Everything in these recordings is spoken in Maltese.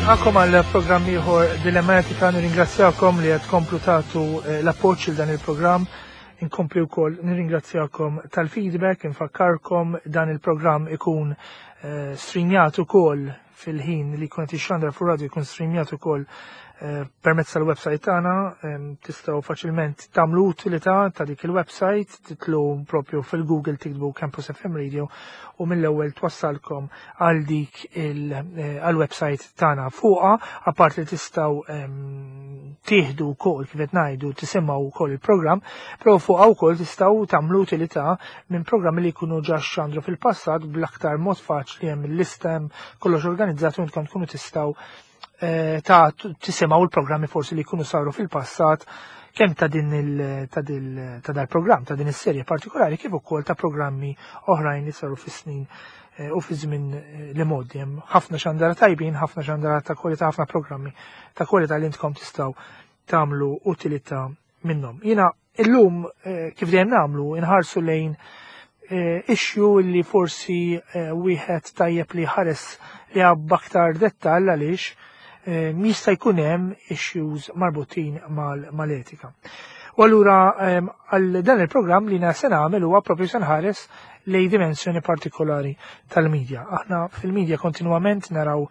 Nilqakom għal programm ieħor Dilematika, nirringrazzjakom li qed tkomplu tagħtu eh, l-appoġġ il dan il-programm. Inkompli wkoll nirringrazzjakom tal-feedback, infakkarkom dan il-programm ikun eh, streamjat ukoll fil-ħin li jkun qed jixxandar fuq radio jkun streamjat ukoll eh, permezz tal-website tagħna tistgħu faċilment tagħmlu utilità ta' dik il-website titlu propju fil-Google tiktbu Campus FM Radio u mill-ewwel twassalkom għal dik eh, għal-website tagħna fuqha, apart li tistgħu tieħdu wkoll kif qed ngħidu tisimgħu wkoll il-programm, però fuqha wkoll tistgħu tagħmlu utilità minn programmi li jkunu ġa xandru fil-passat bl-aktar mod faċli hemm il-lista hemm kollox organizzat u intkom tkunu tistgħu eh, ta' tisimgħu l-programmi forsi li jkunu saru fil-passat kemm ta' din il ta' ta' dal-programm ta' din is-serje partikolari kif ukoll ta' programmi oħrajn li saru fis-snin eh, u fi żmien eh, li modi hemm ħafna xandara tajbin, ħafna xandara ta' kwalità, ħafna programmi ta' kwalità li intkom tistgħu tagħmlu utilità minnhom. Jiena illum eh, kif dejjem nagħmlu inħarsu lejn issue li forsi wieħed tajjeb li ħares li aktar dettall għaliex jista' jkun hemm issues marbutin mal-etika. U allura għal dan il-programm li se nagħmel huwa propju se nħares lej dimensjoni partikolari tal-medja. Aħna fil-medja kontinwament naraw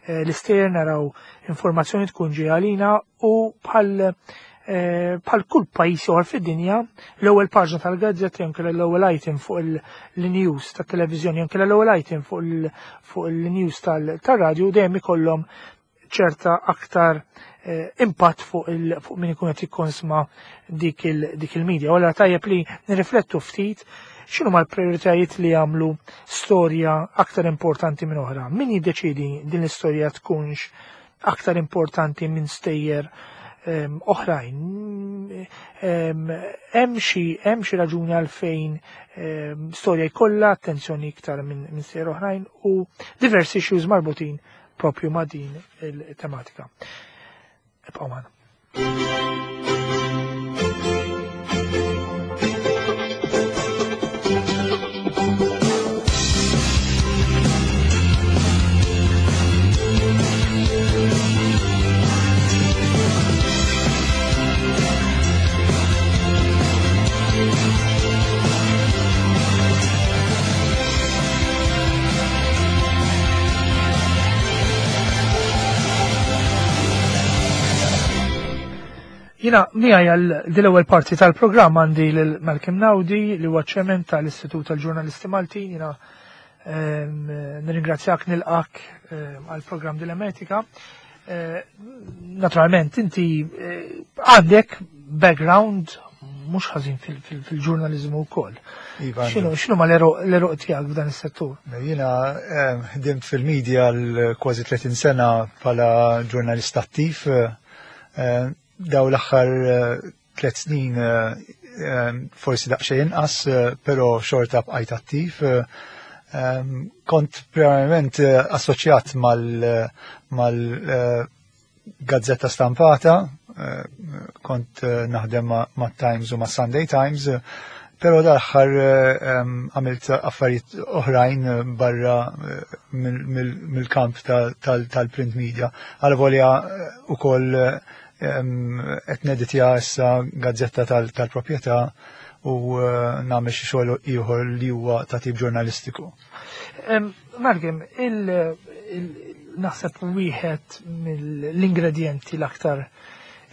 eh, l-istejjer naraw informazzjoni tkun ġej għalina u bħal eh, bħal kull pajjiż ieħor fid-dinja, l-ewwel paġna tal-gazzetta jew l-ewwel item fuq il-news tat-televiżjoni jew l-ewwel item fuq il-news tal-radju dejjem ikollhom ċerta aktar eh, impatt fuq il fuq min ikun qed jikkonsma dik il-media. Wara tajjeb li nirriflettu ftit x'inhu mal-prioritajiet li jagħmlu storja aktar importanti minn oħra. Min jiddeċidi din l-istorja tkunx aktar importanti minn stejjer ehm, oħrajn. Ehm, hemm xi hemm xi raġuni għalfejn ehm, storja jkollha attenzjoni iktar minn stejjer oħrajn u diversi issues marbutin propju ma' din il-tematika. Ibqgħu magħna. Jina, miegħi għal dil-ewwel parti tal-programm għandi lil Malcolm Naudi li huwa ċemen tal-Istitut tal-Ġurnalisti Maltin. Jina ehm, nirringrazzjak nilqak ehm, għal programm Dilemetika. Eh, naturalment, inti eh, għandek background mhux ħażin fil-ġurnaliżmu wkoll. Iva, x'inhu x'inhu ma l-eruq tiegħek f'dan is-settur? Jiena eh, ħdimt fil-medja l kważi 30 sena bħala ġurnalist attiv. Eh, daw l-aħħar eh, tliet snin forsi daqsxejn inqas, però xorta bqajt attiv. Kont primarjament assoċjat mal gazzetta stampata, eh, kont eh, naħdem ma' Times u ma' Sunday Times, pero dal-aħħar eh, għamilt affarijiet oħrajn barra mill-kamp tal-print media. Għal volja u koll qed neditja issa gazzetta tal-proprjetà u nagħmel xi xogħol ieħor li huwa ta' tip ġurnalistiku. Margim, naħseb wieħed mill-ingredjenti l-aktar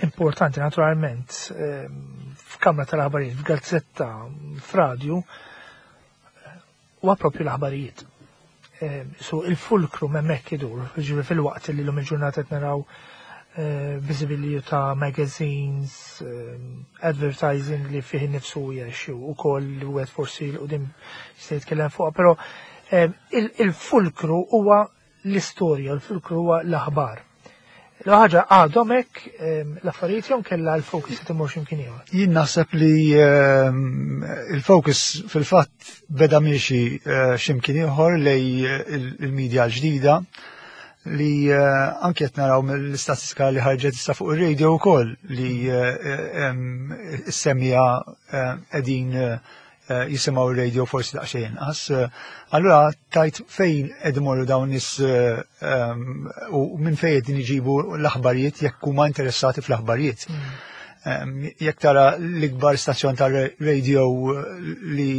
importanti naturalment f'kamra tal-aħbarijiet, f'gazzetta, f'radju, huwa propju l-aħbarijiet. So il-fulkru hemmhekk idur, ġifieri fil-waqt li l-lum il-ġurnata qed naraw eh, visibility ta' magazines, advertising li fih nifsu hija u koll li wieħed forsi l-qudiem se jitkellem fuqha, però il-fulkru huwa l-istorja, il-fulkru huwa l-aħbar. L-ħaġa għadhom hekk l-affarijiet jew kellha l-focus qed imur x'imkien ieħor. Jien naħseb li il-focus fil-fatt beda miexi eh, x'imkien ieħor lej il-medja l-ġdida li eh, anke qed naraw mill-istatistika li ħarġet issa fuq ir-radio wkoll li eh, s-semija qegħdin. jisimgħu r-radio forsi daqsxejn inqas. Allura tajt fejn qed imorru dawn nies u minn fejn qegħdin iġibu l-aħbarijiet jekk huma interessati fl-aħbarijiet. Jekk tara l-ikbar stazzjon tar-radio li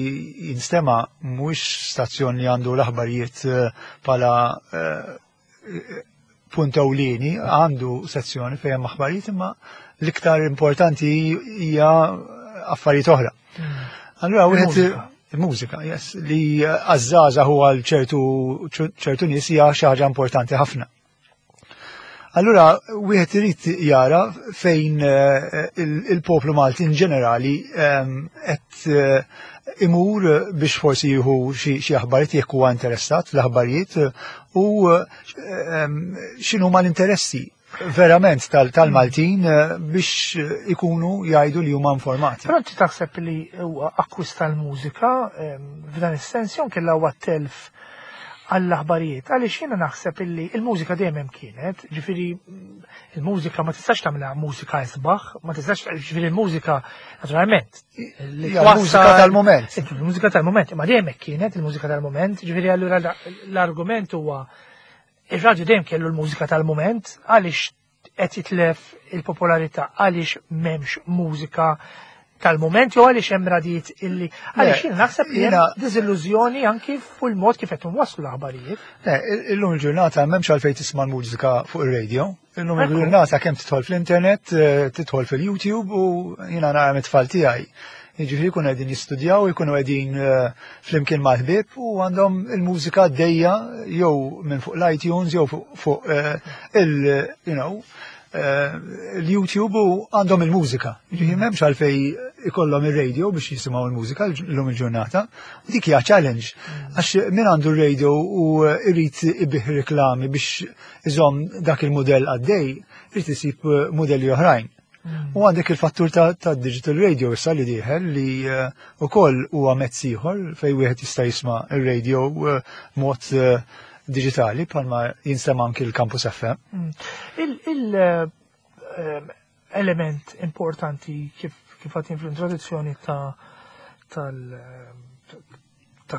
jinstema' mhuwiex stazzjon li għandu l-aħbarijiet bħala punt ewlieni, għandu sezzjoni fejn hemm aħbarijiet imma l-iktar importanti hija affarijiet oħra. Allura wieħed il-mużika, yes, li għaż-żgħażagħ huwa għal ċertu nies hija xi ħaġa importanti ħafna. Allura wieħed irid jara fejn il-poplu Malti in ġenerali qed imur biex forsi jieħu xi aħbarijiet jekk huwa interessat fl-aħbarijiet u x'inhuma l-interessi verament tal-Maltin biex ikunu jgħidu li huma informati. Però inti taħseb li huwa akkwist tal-mużika f'dan is-sens jew kellha huwa telf għall-aħbarijiet? Għaliex jiena naħseb illi il-mużika dejjem hemm kienet, ġifieri il-mużika ma tistax tagħmilha mużika isbaħ, ma tistax, ġifieri il-mużika naturalment. Il-mużika tal-moment. Il-mużika tal-moment, imma dejjem hekk kienet il-mużika tal-moment, ġifieri allura l-argument huwa ir-radju dejjem kellu l-mużika tal-moment, għaliex qed jitlef il-popolarità, għaliex m'hemmx mużika tal-moment jew għaliex hemm radijiet illi għaliex jien naħseb li hemm diżillużjoni anki fuq il-mod kif qed nwasslu l-aħbarijiet. Le, illum il-ġurnata m'hemmx għalfejn tisma' l-mużika fuq ir-radio. Illum il-ġurnata kemm tidħol fl-internet, tidħol fil-YouTube u jiena nara mit-tfal tiegħi. Jiġifieri jkunu qegħdin jistudjaw, jkunu qegħdin flimkien mal-ħbieb u għandhom il-mużika għaddejja jew minn fuq l-iTunes jew fuq l-YouTube u għandhom il-mużika. Jiġifieri m'hemmx għalfejn ikollhom ir-radio biex jisimgħu l-mużika llum il-ġurnata. Dik hija challenge. Għax min għandu r-radio u jrid ibih reklami biex iżomm dak il-mudell għaddej, irid isib mudelli oħrajn. U għandek il-fattur ta' digital radio issa li dieħel li ukoll huwa mezz ieħor fejn wieħed jista' jisma' ir-radio mod digitali bħalma jinstema' anki l-Campus FM. Il-element importanti kif għatin fl-introduzzjoni ta'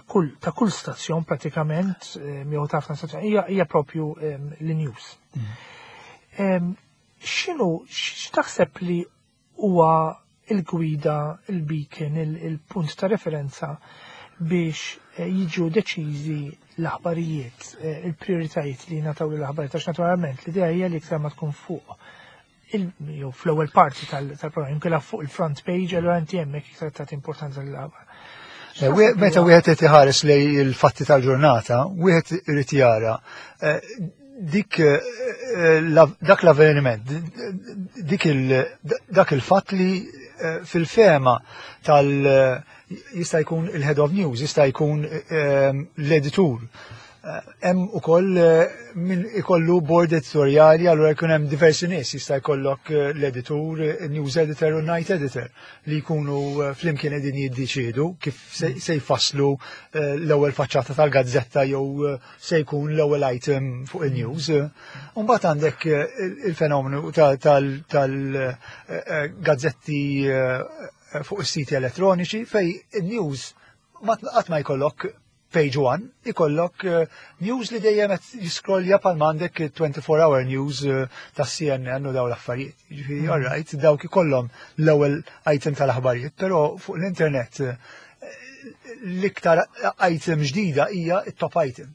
kull stazzjon pratikament, jew ta' ħafna stazzjon, hija propju l-news. X'taħseb li huwa il-gwida, il-beacon, il-punt ta' referenza biex jiġu deċiżi l-aħbarijiet, il-prioritajiet li nataw l-aħbarijiet, għax naturalment l-idea hija li iktar ma tkun fuq jew fl-ewwel parti tal-programm, inkella fuq il-front page, allura inti hemmhekk iktar tagħti importanza lill-aħbar. Meta wieħed qed iħares lej il-fatti tal-ġurnata, wieħed irid jara dak l-avveniment, dak il-fatt li fil-fema tal- jista' jkun il-head of news, jista' jkun l-editur. Hemm ukoll min ikollu board editoriali, allura jkun hemm diversi nies, jista' jkollok l-editur, news editor u night editor li jkunu flimkien qegħdin jiddeċiedu kif se jfasslu l-ewwel faċċata tal-gazzetta jew se jkun l-ewwel item fuq il-news. U mbagħad għandek il-fenomenu tal-gazzetti fuq is-siti elettroniċi fej il-news qatt ma jkollok page 1, ikollok news li dejjem qed jiskrollja bħal m'għandek 24 hour news ta' CNN u daw l-affarijiet. Jiġifieri, all right, dawk ikollhom l-ewwel item tal-aħbarijiet, però fuq l-internet l-iktar item ġdida hija t-top item.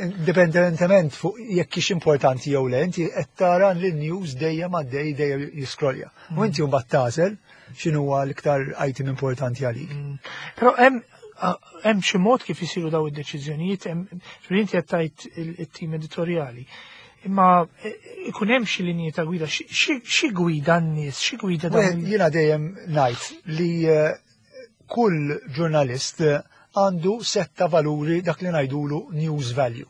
Indipendentement fuq jekk hix importanti jew le, inti qed tara li l-news dejjem għaddej dejjem jiskrollja. U inti mbagħad tagħżel x'inhuwa l-iktar item importanti għalik. Però hemm xi mod kif isiru daw id-deċiżjonijiet, ġifieri inti qed tgħid it-tim editorjali. Imma ikun hemm xi linji ta' gwida, xi gwida n-nies, xi gwida dawn Wieħed, jiena dejjem ngħid li kull ġurnalist għandu setta valuri dak li ngħidulu news value,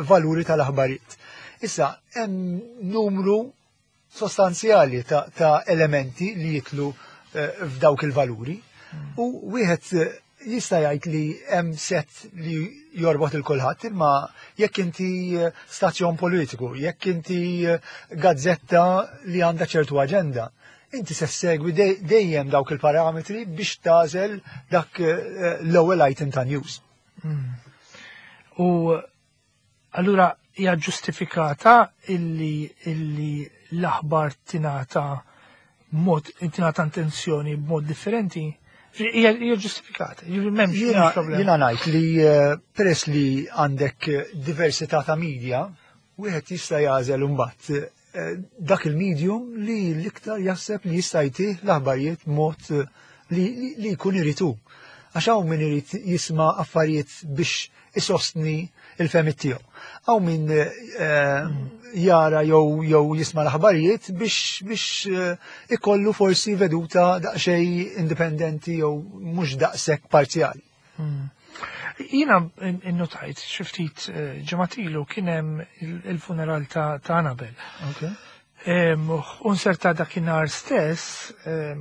valuri tal-aħbarijiet. Issa, hemm numru sostanzjali ta' elementi li jitlu f'dawk il-valuri. U wieħed jista' jgħid li hemm set li jorbot il kulħadd, imma jekk inti stazzjon politiku, jekk inti gazzetta li għandha ċertu aġenda, Inti se segwi dejjem dawk il-parametri biex tagħżel dak l-ewwel item ta' news. U allura hija ġustifikata illi l-aħbar tingħata mod tingħata attenzjoni b'mod differenti? Hija ġustifikata, m'hemmx problema. Jiena ngħid li peress li għandek diversità ta' media, wieħed jista' jagħżel imbagħad dak il-medium li l-iktar jaħseb li jista' jtih l-aħbarijiet mod li jkun iritu. Għax hawn min irid jisma' affarijiet biex isostni il-fehmiet tiegħu. Hawn min jara jew jisma' l-aħbarijiet biex ikollu forsi veduta daqsxejn indipendenti jew mhux daqshekk parzjali. Jiena innotajt xi ftit ġimgħat ilu kien hemm il-funeral ta' Annabel. U nserta dakinhar stess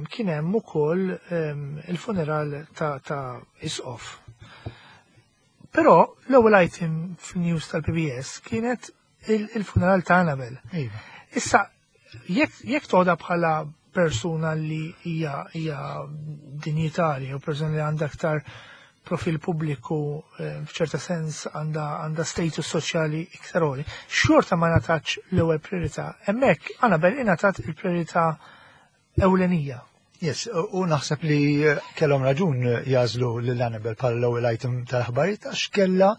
kien hemm ukoll il-funeral ta' Isqof. Però l-ewwel item fil-news tal-PBS kienet il-funeral ta' Annabel. Issa, jekk toħodha bħala persuna li hija dinjitarja u persuna li għandha aktar profil pubbliku, f'ċerta sens għandha status soċjali iktar għoli, xorta ma ngħatatx l-ewwel priorità. Hemmhekk Annabel ingħatat il-priorità ewlenija. Yes, u naħseb li kellhom raġun jagħżlu lil Annabel bħala l-ewwel item tal-aħbarijiet għax kellha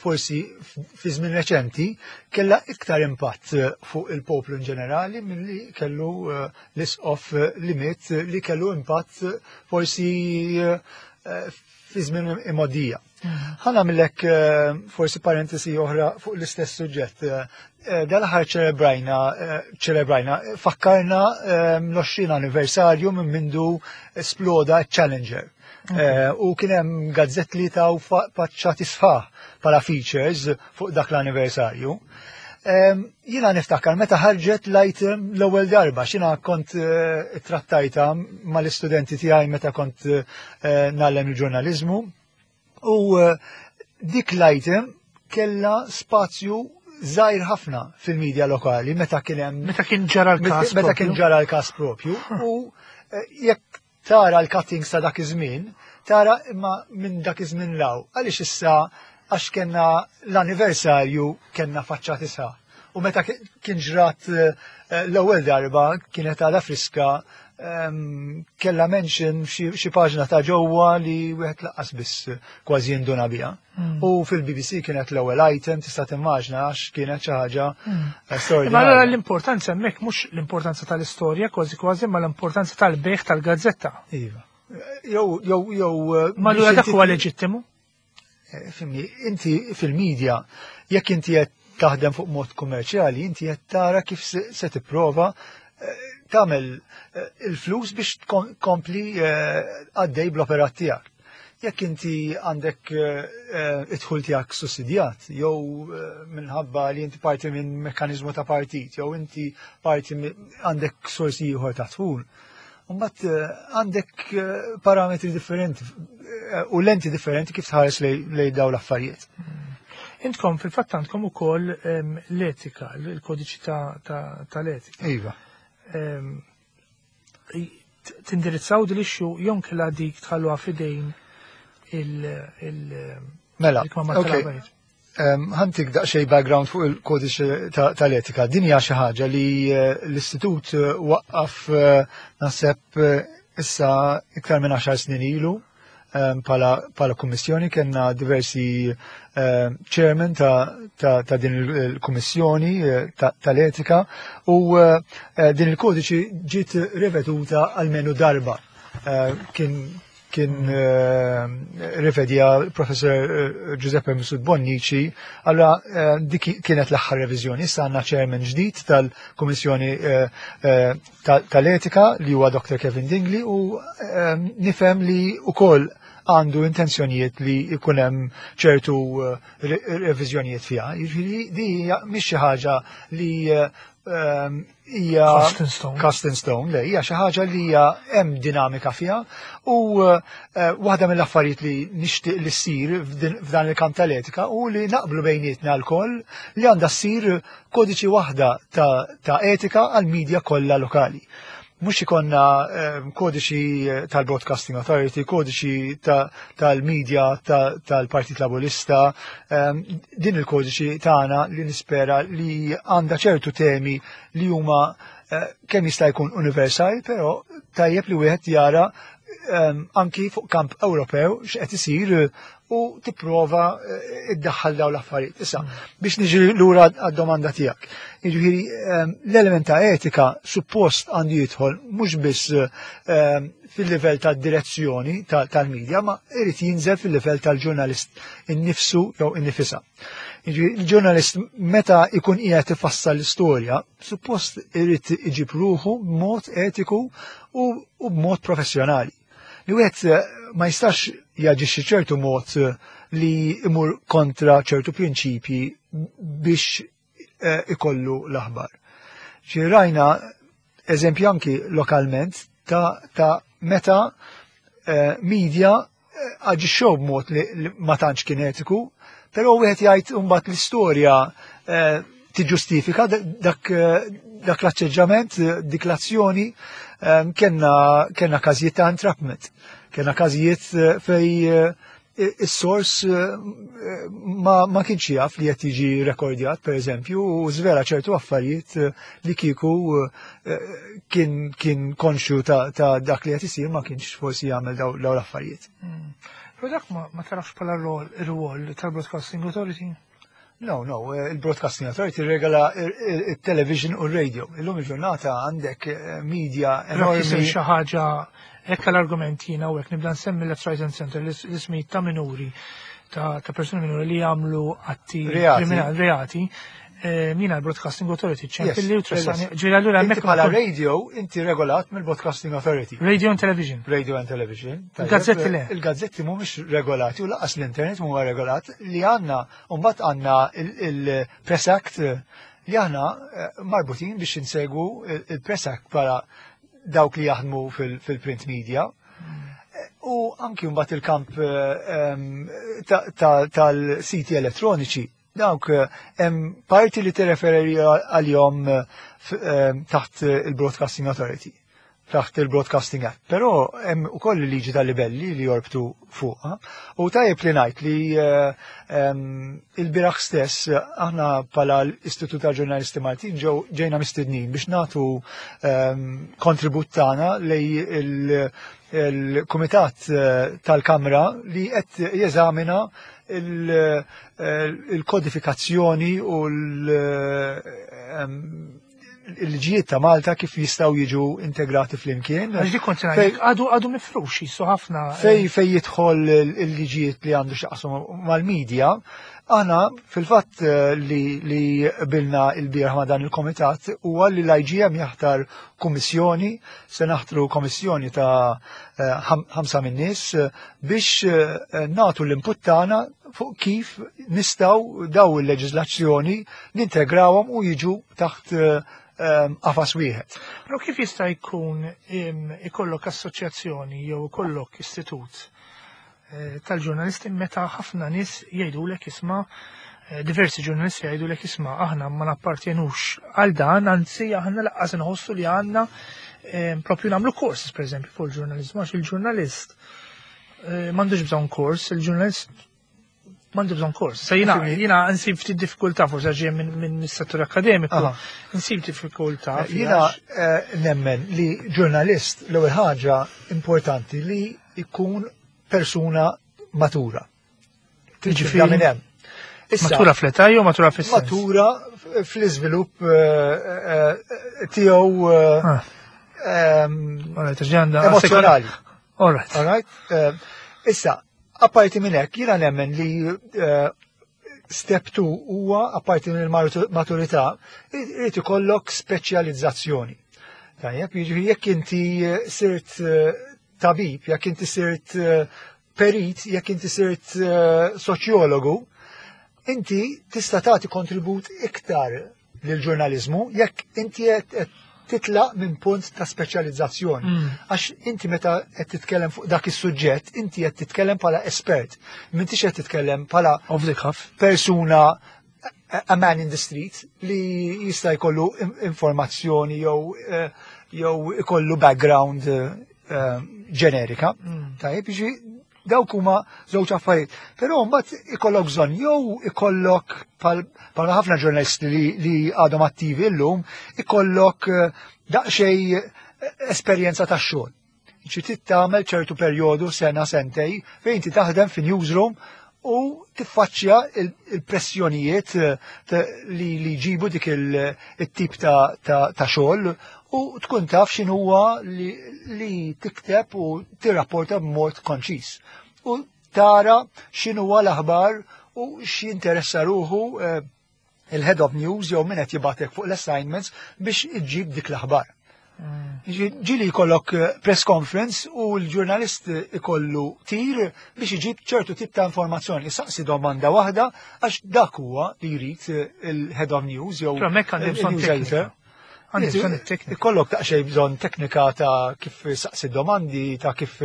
forsi fi żmien reċenti kellha iktar impatt fuq il-poplu in ġenerali milli kellu l-isqof li miet, li kellu impatt forsi fi żmien imgħoddija. Ħa nagħmillek forsi parentesi oħra fuq l-istess suġġett. Dal-aħħar ċelebrajna, fakkarna l-20 anniversarju minn mindu esploda Challenger. U kien hemm gazzett li taw faċċati sħaħ bħala features fuq dak l-anniversarju. Jiena niftakar meta ħarġet l-item l-ewwel darba, x'jiena kont trattajta mal-istudenti tiegħi meta kont ngħallem il-ġurnaliżmu. U dik l-item kella spazju żgħir ħafna fil-medja lokali meta kien hemm Meta kien ġara l-każ Meta kien propju. ġara l-każ propju. U jekk tara l-cuttings ta' dak iż-żmien, tara imma minn dak iż-żmien 'l hawn. Għaliex issa għax kellna l-anniversarju kellna faċċati sħaħ. U meta kien ġrat l-ewwel darba kienet għadha friska, kella mention xi paġna ta' ġewwa li wieħed lanqas biss kważi jinduna biha. U fil-BBC kienet l-ewwel item, tista' timmaġna għax kienet xi ħaġa straordinarja. Ma allura l-importanza hemmhekk mhux l-importanza tal-istorja kważi kważi, ma l-importanza tal-bejgħ tal-gazzetta. Iva. Jew, jew, jew, Ma allura biex dak inti huwa leġittimu? Fimni, inti fil-medja, jekk inti qed taħdem fuq mod kummerċjali, inti qed tara kif se tipprova tagħmel il-flus biex tkompli għaddej bl-operat tiegħek. Jekk inti għandek id-dħul tiegħek sussidjat, jew minħabba li inti parti minn mekkaniżmu ta' partit, jew inti parti għandek sorsi ieħor ta' dħul, mbagħad għandek parametri differenti u lenti differenti kif tħares lej daw l-affarijiet. Intkom fil-fatt għandkom ukoll l-etika, il-kodiċi tal-etika. Iva. Tindirizzaw din l-issue jew inkella dik tħalluha f'idejn Mela, il-kmamar ok. tal-aħbarijiet? Ħa ntik daqsxejn background fuq il-kodiċi tal-etika. Din hija xi ħaġa li l-istitut waqqaf naħseb issa iktar minn 10 snin ilu bħala kummissjoni. Kellna diversi chairman ta' din il-kummissjoni tal-etika u din il-kodiċi ġiet riveduta almenu darba. Kien rivedja professor Giuseppe Mifsud Bonnici, allora dik kienet l-aħħar reviżjoni. Issa għandna chairman ġdid tal-Kummissjoni tal-Etika li huwa Dr. Kevin Dingli u nifhem li wkoll għandu intenzjonijiet li jkun hemm ċertu reviżjonijiet fiha. Jiġifieri di hija mhix xi ħaġa li hija Cast in stone. Cast in stone, le, hija xi ħaġa li hija hemm dinamika fiha u waħda mill-affarijiet li nixtieq li ssir f'dan il-kamp tal-etika u li naqblu bejnietna lkoll li għandha ssir kodiċi waħda ta' etika għall-medja kollha lokali. Mhux ikollna kodiċi tal-Broadcasting Authority, kodiċi tal-media tal-Partit Laburista, din il-kodiċi tagħna li nispera li għandha ċertu temi li huma kemm jista' jkun universali, però tajjeb li wieħed jara anki fuq kamp Ewropew x'qed isir u tipprova iddaħħal daw l-affarijiet. Issa, biex niġi lura għad-domanda tiegħek. Jiġifieri l-element ta' etika suppost għandu jidħol mhux biss fil-livell tad-direzzjoni tal-medja, ma irid jinżel fil-livell tal-ġurnalist innifsu jew innifisha. Jiġifieri il-ġurnalist meta ikun qiegħed ifassal l-istorja, suppost irid iġib ruħu b'mod etiku u b'mod professjonali. Li wieħed ma jistax jaġixxi ċertu mod li imur kontra ċertu prinċipji biex ikollu l-aħbar. Ġi rajna eżempju anki lokalment ta' meta media aġixxew b'mod li ma tantx kien etiku, però wieħed jgħid imbagħad l-istorja tiġġustifika dak l-aċċeġġament, dik l-azzjoni. Kellna każijiet ta' entrapment, kellna każijiet fej is-sors ma kienx jaf li qed jiġi rekordjat, per eżempju, u żvela ċertu affarijiet li kieku kien konxju ta' dak li qed isir ma kienx forsi jagħmel daw l-affarijiet. Però dak ma tarafx bħala r-rwol tal-Broadcasting Authority? No, il-Broadcasting Authority regola il-television u r-radio. Illum il-ġurnata għandek media enormi. Xi ħaġa hekk l-argument jiena u hekk nibda nsemmi left, right and center l-ismijiet ta' minuri, ta' persuni minuri li jagħmlu atti kriminali, reati. Mina l-Broadcasting Authority ċempilli u tressani. Ġifieri allura hemmhekk bħala radio inti regolat mill-Broadcasting Authority. Radio and Television. Radio and Television. Il-gazzetti le. Il-gazzetti mhumiex regolati u lanqas l-internet mhuwa regolat li għandna, u mbagħad għandna il-Press Act li aħna marbutin biex insegwu il-Press Act bħala dawk li jaħdmu fil-print media. U anki mbagħad il-kamp tal-siti elettroniċi, dawk hemm parti li tirreferi għalihom taħt il-Broadcasting Authority, taħt il-Broadcasting Act. Però hemm ukoll il-liġi tal-libelli li jorbtu fuqha. U tajjeb li ngħid li il-bieraħ stess aħna bħala l-Istitut tal-Ġurnalisti Maltin ġejna mistednin biex nagħtu kontribut tagħna lej il-Kumitat tal-Kamra li qed jeżamina il-kodifikazzjoni u l-liġijiet ta' Malta kif jistgħu jiġu integrati flimkien. Għax dik kont ngħidlek, għadu mifrux jisu ħafna. Fej jidħol il-liġijiet li għandu x'jaqsmu mal-medja, aħna fil-fatt li qbilna il-bieraħ ma' dan il-komitat huwa li l-IGM jaħtar kummissjoni, se naħtru kommissjoni ta' 5 minn nies biex nagħtu l-input tagħna fuq kif nistgħu daw il-leġiżlazzjoni nintegrawhom u jiġu taħt qafas wieħed. Però kif jista' jkun ikollok assoċjazzjoni jew ikollok istitut tal-ġurnalisti meta ħafna nies jgħidulek isma', diversi ġurnalisti jgħidulek isma' aħna ma nappartjenux għal dan, anzi aħna laqqas inħossu li għandna propju nagħmlu kors, per eżempju, fuq il-ġurnalizmu, għax il-ġurnalist m'għandux bżonn kors, il-ġurnalist m'għandu bżonn kors. Se jiena nsib ftit diffikultà, forsi ġej minn settur akademiku, nsib diffikultà. Jiena nemmen li ġurnalist l-ewwel ħaġa importanti li jkun persuna matura. Jiġifieri minn hemm. Issa, matura fl-età jew matura fis-sens? Matura fl-iżvilupp tiegħu Alright, ġi għandha emozjonali. All right. All right. Issa, apparti minn hekk, jiena nemmen li step 2 huwa apparti minn il-maturità, irid ikollok speċjalizzazzjoni. Tajjeb, jiġifieri jekk inti sirt tabib, jekk inti sirt perit, jekk inti sirt soċjologu, inti tista' tagħti kontribut iktar lill-ġurnaliżmu jekk inti qed titlaq minn punt ta' speċjalizzazzjoni. Għax inti meta qed titkellem fuq dak is-suġġett, inti qed titkellem bħala espert, m'intix qed titkellem bħala Off the cuff. persuna, a man in the street li jista' jkollu informazzjoni jew jew ikollu background ġenerika. Tajjeb, jiġi dawk huma żewġ affarijiet. Però mbagħad ikollok bżonn jew ikollok bħal ħafna ġurnalisti li għadhom attivi llum, ikollok daqsxejn esperjenza tax-xogħol. Ġi trid tagħmel ċertu perjodu sena sentej fejn inti taħdem fi newsroom u tiffaċċja il-pressjonijiet li jġibu dik il-tip ta' xogħol u tkun taf x'inhuwa li tikteb u tirrapporta b'mod konċis. U tara x'inhuwa l-aħbar u x'jinteressa ruħu il-head of news jew min qed jibgħatek fuq l-assignments biex iġġib dik l-aħbar. Ġieli jkollok press conference u l-ġurnalist ikollu tir biex iġib ċertu tip ta' informazzjoni. Saqsi domanda waħda għax dak huwa li jrid il-head of news jew Però hemmhekk għandi bżonn il-news teknika. editor. Għandi bżonn it-teknika. Ikollok daqsxejn bżonn teknika ta' kif saqsi domandi, ta' kif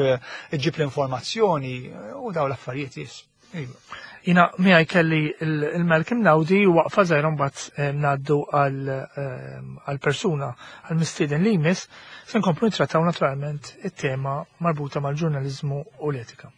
iġib l-informazzjoni u daw l-affarijiet jis. Iva. Jiena miegħi kelli il-Malcolm Naudi u waqfa żgħira mbagħad ngħaddu għal-persuna għal-mistieden li jmiss se nkomplu nittrattaw naturalment it-tema marbuta mal-ġurnaliżmu u l-etika.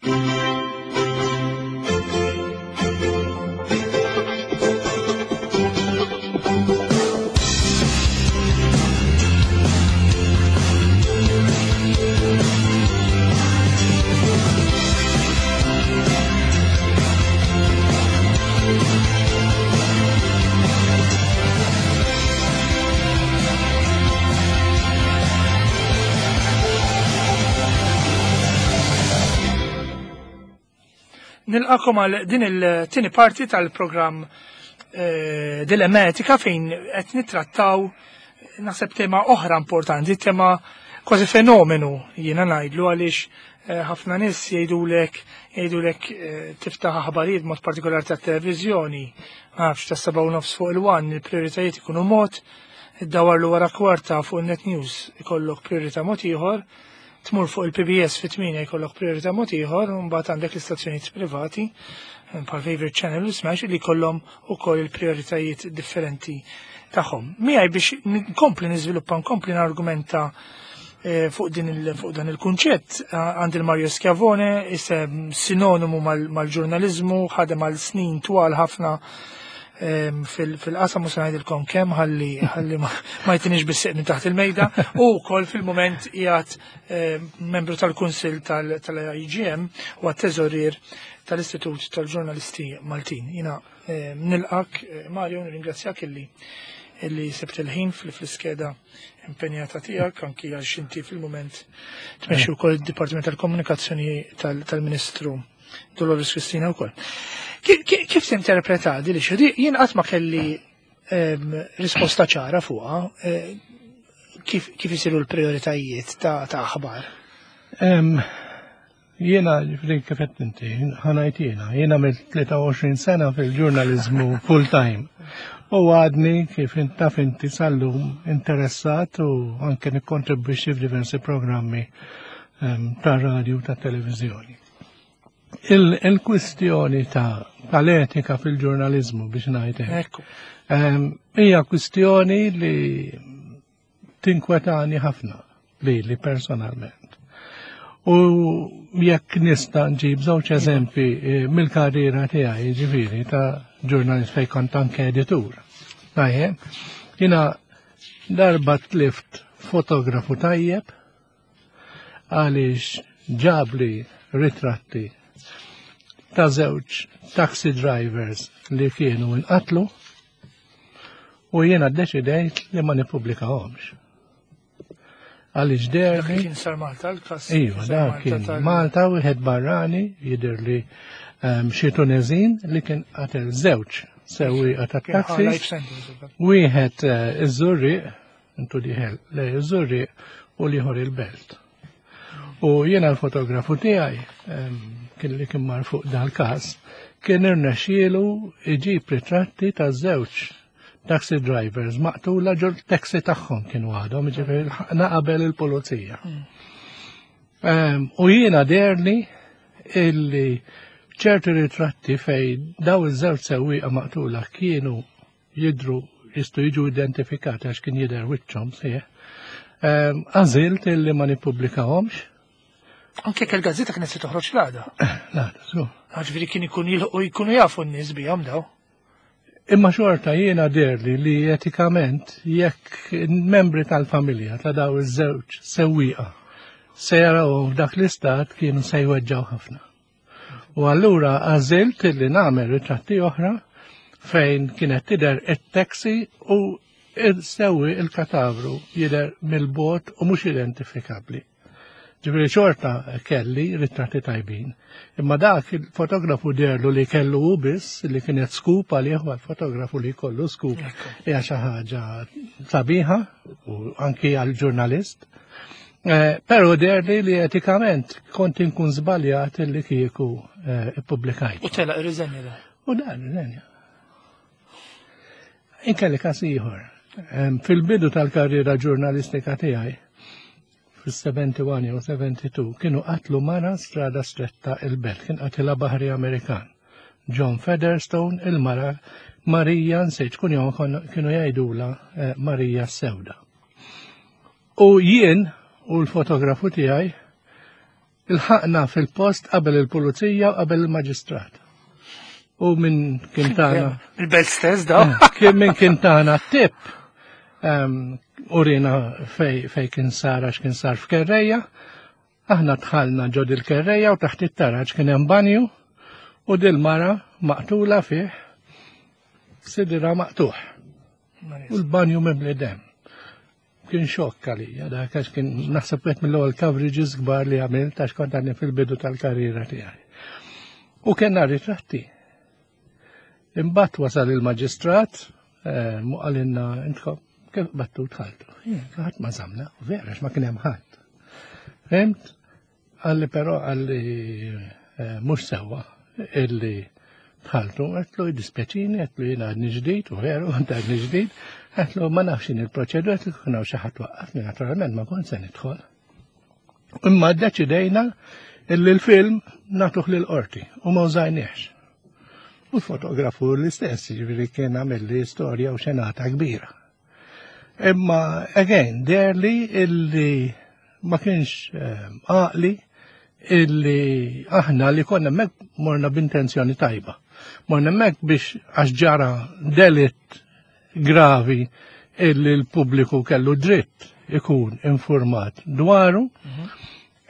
Nilqakom għal din il-tieni parti tal-programm Dilemma Etika fejn qed nittrattaw naħseb tema oħra importanti, tema kważi fenomenu jiena ngħidlu għaliex ħafna nies jgħidulek tiftaħ aħbarijiet mod partikolari tat-televiżjoni, ma nafx ta' seba' u nofs fuq il-one, il-prijoritajiet ikunu mod, iddawar l wara kwarta fuq il-Net News ikollok prijorità mod ieħor, tmur fuq il-PBS fit-8 jkollok priorità mod ieħor, u mbagħad għandek l-istazzjonijiet privati bħal Favorite Channel u Smash li jkollhom ukoll il-prioritajiet differenti tagħhom. Miegħi biex nkompli niżviluppa, nkompli nargumenta fuq dan il-kunċett, għandi il-Mario Schiavone, isem sinonimu mal-ġurnaliżmu, ħadem għal snin twal ħafna fil-qasam u se ngħidilkom kemm ħalli ma jtinix bis-sieq minn taħt il-mejda, u wkoll fil-mument qiegħed membru tal-Kunsill tal-IGM u għat-teżorier tal-Istitut tal-Ġurnalisti Maltin. Jiena nilqak, Mario, nirringrazzjak illi sebt il-ħin fl-iskeda impenjata tiegħek, anki għax inti fil-mument tmexxi wkoll id-Dipartiment tal-Komunikazzjoni tal-Ministru Dolores Cristina wkoll. Kif tinterpreta di li xi jien qatt ma kelli risposta ċara fuqha, kif isiru l-prioritajiet ta' aħbar? Jiena, ġifieri kif qed inti, ħanajt jiena, jiena mill-23 sena fil-ġurnaliżmu full time. U għadni kif taf inti sal-lum interessat u anke nikkontribwixxi f'diversi programmi ta' radio ta' televizjoni. Il-kwistjoni tal-etika fil-ġurnaliżmu biex ngħid hekk. Hija kwistjoni li tinkwetani ħafna li personalment. U jekk nista' nġib żewġ eżempi mill-karriera tiegħi, jiġifieri ta' ġurnalist fejn kont anke editur. Tajjeb, jiena darba tlift fotografu tajjeb għaliex ġabli ritratti ta' żewġ taxi drivers li kienu inqatlu u jiena ddeċidejt li ma nippubblikahomx. Għaliex derli. Dak kien sar Malta, l-każ Iva, sar dak Malta kien tal- Malta, wieħed barrani, jidher li xi Tunezin li kien qatel żewġ sewwieqa ta' Kien ħa taxis. life sentence, ukoll. Wieħed iż-Żurrieq, intu diħel, le iż-Żurrieq u l-ieħor il-Belt. U jiena l-fotografu tiegħi kien li kien mar fuq dal-każ, kien irnexxielu iġib ritratti ta' żewġ taxi drivers maqtula ġol taxi tagħhom kienu għadhom, jiġifieri lħaqna qabel il-pulizija. U jiena derli illi ċerti ritratti fej daw iż-żewġ sewwieqa maqtula kienu jidru jistgħu jiġu identifikati għax kien jidher wiċċhom sieħ. Għażilt illi ma nippubblikahomx. Anke jekk il-gazzetta kienet se toħroġ l-għada. L-għada, żgur. Ġifieri kien ikun jilħqu jkunu jafu n-nies bihom daw. Imma xorta jiena deherli li etikament jekk membri tal-familja ta' daw iż-żewġ sewwieqa se jarawhom f'dak l-istat kienu se jweġġgħu ħafna. U allura għażilt li nagħmel ritratti oħra fejn kienet tidher it-taxi u il-sewwi il-katavru jidher mill-bogħod u mhux identifikabbli. Ġifieri xorta kelli ritratti tajbin. Imma dak il-fotografu deherlu li kellu hu biss li kienet scoop għalih għal-fotografu li jkollu scoop hija xi ħaġa sabiħa u anki għal-ġurnalist. Eh, Pero deherli li etikament kont inkun żbaljat li kieku eh, ippubblikajt. U telaq irriżenja da. U dan riżenja. Inkelli każ ieħor. Fil-bidu tal-karriera ġurnalistika tiegħi, fis-71 jew 72, kienu qatlu mara strada stretta il-Belt, kien qatilha baħri Amerikan. John Featherstone, il-mara Marija, nsejt kun jom kienu jgħidula eh, Marija Sewda. U jien u l-fotografu tiegħi ilħaqna fil-post qabel il-pulizija u qabel il-maġistrat. U minn kien tagħna. Il-belt stess daw. Eh, kien minn kien tagħna tip urina fej, fej kien sar għax kien sar f'kerreja. Aħna dħalna ġod il-kerreja u taħt it-taraġ kien hemm banju u dil-mara maqtula fih sidira maqtuħ. U l-banju mimli dem. Kien xokk għalija, dak għax kien naħseb wieħed mill-ewwel coverages kbar li għamilt għax kont għadni fil-bidu tal-karriera tiegħi. U kellna ritratti. Imbagħad wasal il-maġistrat, eh, mu qalilna intkom kif battu dħaltu. Ħadd ma żamna, vera għax ma kien hemm ħadd. Fimt? Qalli però qalli eh, mhux sewwa illi dħaltu, għedtlu jiddispjaċini, għedtlu jiena għadni ġdid, u veru, għand għadni ġdid, għedtlu ma nafx il-proċedura, għedtlu kien hawn xi ħadd waqqafni, naturalment ma kont se nidħol. Imma ddeċidejna illi l-film nagħtuh lill-qorti u ma użajniex. U l-fotografu l-istess, ġifieri kien għamilli storja u xenata kbira. Imma, again, deherli illi ma kienx ehm, għaqli illi aħna li konna hemmhekk morna b'intenzjoni tajba. Morna hemmhekk biex għax ġara delitt gravi illi l-pubbliku kellu dritt ikun informat dwaru.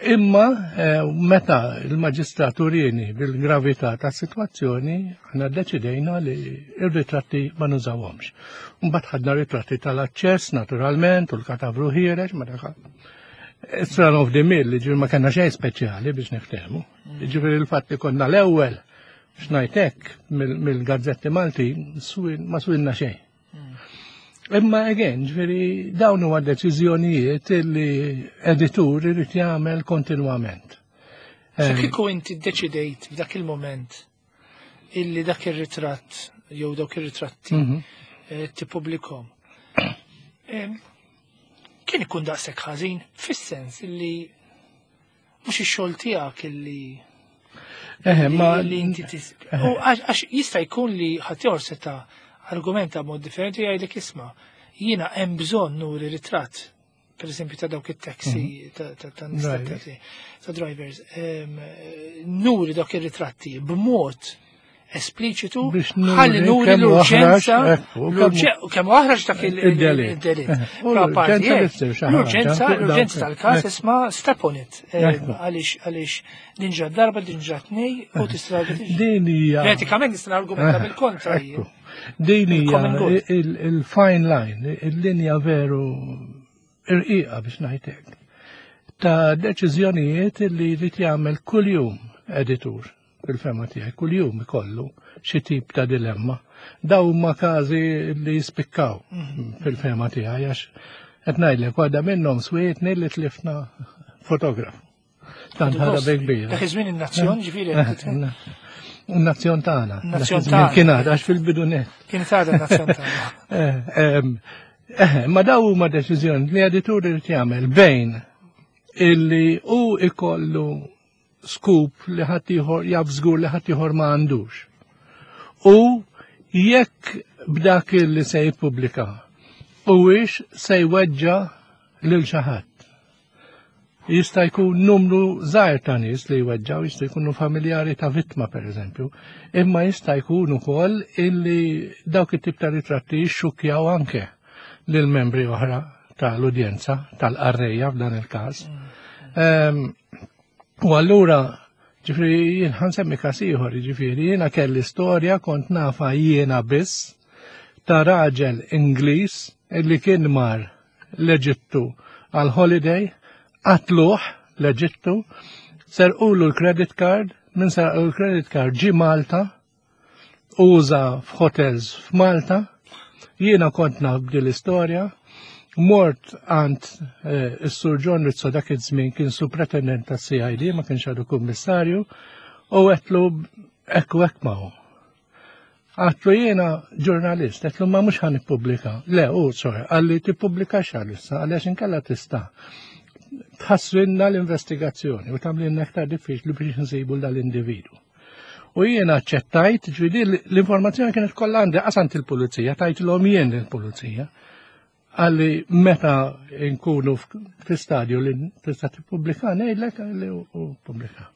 Imma eh, meta il-maġistrat urini bil-gravità ta' situazzjoni, aħna deċidejna li ir-ritratti ma nużawhomx. Mbagħad ħadna ritratti tal-aċċess naturalment u l-katavru ħiereġ ma dak. It's run of the mill, ġifieri ma kellna xejn speċjali biex niftehmu. Ġifieri il-fatt li konna l-ewwel x'ngħidlek mill-gazzetti Malti ma swinna xejn. Imma again, ġifieri dawn huwa deċiżjonijiet li editur irid jagħmel kontinwament. So kieku inti ddeċidejt f'dak il-moment illi dak ir-ritratt jew dawk ir-ritratti eh, tippubblikhom. Kien ikun daqshekk ħażin fis-sens illi mhux ix-xogħol tiegħek illi Eħe, ma li inti tis. U għax jista' jkun li ħaddieħor seta' argumenta mod differenti jgħidlek isma' jiena hemm bżonn nuri ritratt per eżempju ta' dawk it-taxi ta' nies ta' taxi ta' drivers nuri dawk ir-ritratti b'mod espliċitu ħalli nuri l-urġenza kemm aħraġ dak il-delitt. L-urġenza, l-urġenza tal-każ isma' step on it. Għaliex għaliex din ġrat darba, din ġrat tnej u tista' Din hija. Etikament nista' argumenta bil-kontra. Din hija il-fine line, il-linja veru irqiqa biex ngħidlek ta' deċiżjonijiet li jrid jagħmel kuljum editur fil-fehma tiegħi kuljum ikollu xi tip ta' dilemma. Daw huma każi li jispikkaw fil-fehma tiegħi għax qed ngħidlek waħda minnhom swietni li tlifna fotografu. Tant ħada bi kbira. Dak iż-żmien in-Nazzjon ġifieri. In-Nazzjon tagħna. Nazzjon tagħna. Kien għadha għax fil-bidu net. Kien għadha n-Nazzjon tagħna. Eh, ma daw huma deċiżjoni li editur irid jagħmel bejn illi hu ikollu scoop li ħaddieħor jaf żgur li ħaddieħor ma għandux. U jekk b'dak li se jippubblika huwiex se jweġġa lil xi ħadd. Jista' jkun numru żgħir ta' nies li jweġġaw, jista' jkunu familjari ta' vittma pereżempju, imma jista' jkun ukoll illi dawk it-tip ta' ritratti jixxukkjaw anke lil membri oħra tal-udjenza, tal-qarrejja f'dan il-każ. U allura, ġifieri jien ħansemmi każ ieħor, ġifieri jiena kelli storja kont nafa jiena biss ta' raġel Ingliż illi kien mar l-Eġittu għal holiday, qatluh l-Eġittu, serqulu l-credit card, minn serqulu l-credit card ġi Malta, uża f'hotels f'Malta, jiena kont naf b'din l-istorja, mort għand eh, is-Sur John Rizzo dak iż-żmien kien supretendent tas-CID, ma kienx għadu kummissarju, u għetlu ekku hekk ma hu. Għatlu jiena ġurnalist, għetlu ma mux ħan ippubblika. Le, u, sorry, għalli tippubblika xalissa, għalli għax inkella tista' tħassrinna l-investigazzjoni u tamlinna aktar diffiċli biex nsibu dal-individu. U jiena ċettajt, ġvidi l-informazzjoni kienet kollha għandi qasant il-pulizija, tajt l-om jien il-pulizija. Għalli meta nkunu fi stadju li tista' tippubblika ngħidlek li u pubblika.